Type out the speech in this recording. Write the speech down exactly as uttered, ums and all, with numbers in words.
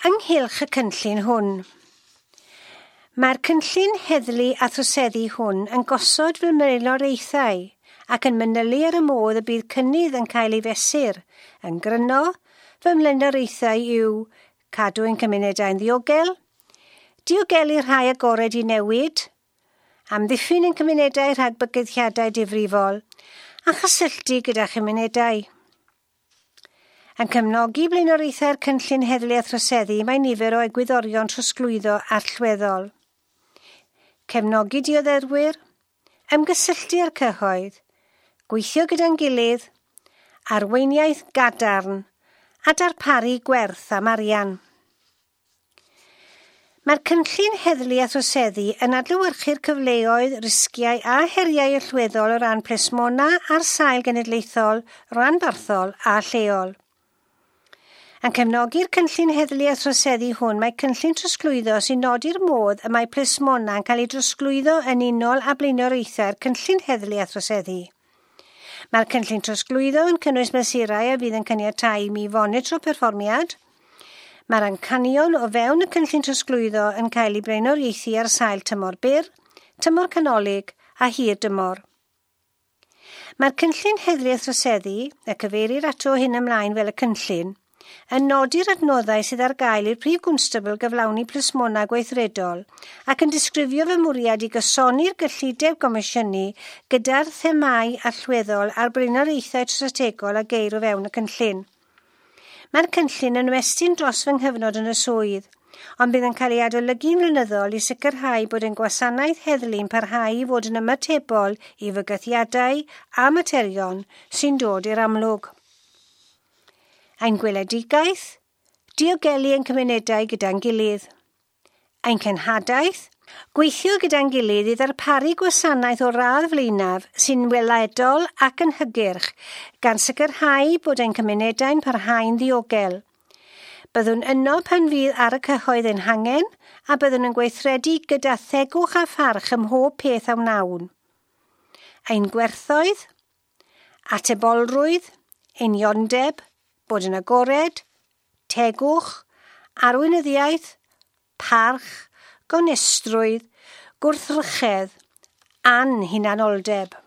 Ynghylch y cynllun hwn. Mae'r cynllun heddlu a throseddu hwn yn gosod fy mlaenoriaethau ac yn manylu ar y modd y bydd cynnydd yn cael ei fesur. Yn gryno, fy mlaenoriaethau yw cadw ein cymunedau'n ddiogel, diogelu rhai agored i newid, amddiffyn ein cymunedau rhag bygythiadau difrifol, a chysylltu gyda chymunedau. Yn cefnogi blaenoriaethau'r cynllun heddlu a throseddu mae nifer o egwyddorion trosglwyddo allweddol. Cefnogi dioddefwyr, ymgysylltu â'r cyhoedd, gweithio gyda'n gilydd, arweiniaeth gadarn a darparu gwerth am arian. Mae'r cynllun heddlu a throseddu yn adlewyrchu'r cyfleoedd, risgiau a heriau allweddol o ran plismona ar sail genedlaethol, ranbarthol a lleol. Yn cefnogi'r cynllun heddlu a throseddu hwn mae cynllun trosglwyddo sy'n nodi'r modd y mae plismona yn cael ei drosglwyddo yn unol â blaenoriaethau'r cynllun heddlu a throseddu. Mae'r cynllun trosglwyddo yn cynnwys mesurau a fydd yn caniatáu i mi fonitro perfformiad. Mae'r amcanion o fewn y cynllun trosglwyddo yn cael ei blaenoriaethu ar sail tymor byr, tymor canolig a hir dymor. Mae'r cynllun heddlu a throseddu, y cyfeirir ato hyn ymlaen fel y cynllun, yn nodi'r adnoddau sydd ar gael i'r prif gwnstabl gyflawni plismona gweithredol ac yn disgrifio fy mwriad i gysoni'r gyllideb gomisiynu gyda'r themâu allweddol a'r blaenoriaethau strategol a geir o fewn y cynllun. Mae'r cynllun yn ymestyn dros fy nghyfnod yn y swydd, ond bydd yn cael ei adolygu'n flynyddol i sicrhau bod ein gwasanaeth heddlu'n parhau i fod yn ymatebol i fygythiadau a materion sy'n dod i'r amlwg. Ein gweledigaeth, diogelu ein cymunedau gyda'n gilydd. Ein cenhadaeth, gweithio gyda'n gilydd i ddarparu gwasanaeth o'r radd flaenaf sy'n weledol ac yn hygyrch, gan sicrhau bod ein cymunedau'n parhau'n ddiogel. Byddwn yno pan fydd ar y cyhoedd ein hangen a byddwn yn gweithredu gyda thegwch a pharch ym mhob peth a wnawn. Ein gwerthoedd, atebolrwydd, uniondeb, bod yn agored, tegwch, arweinyddiaeth, parch, gonestrwydd, gwrthrychedd, anhunanoldeb.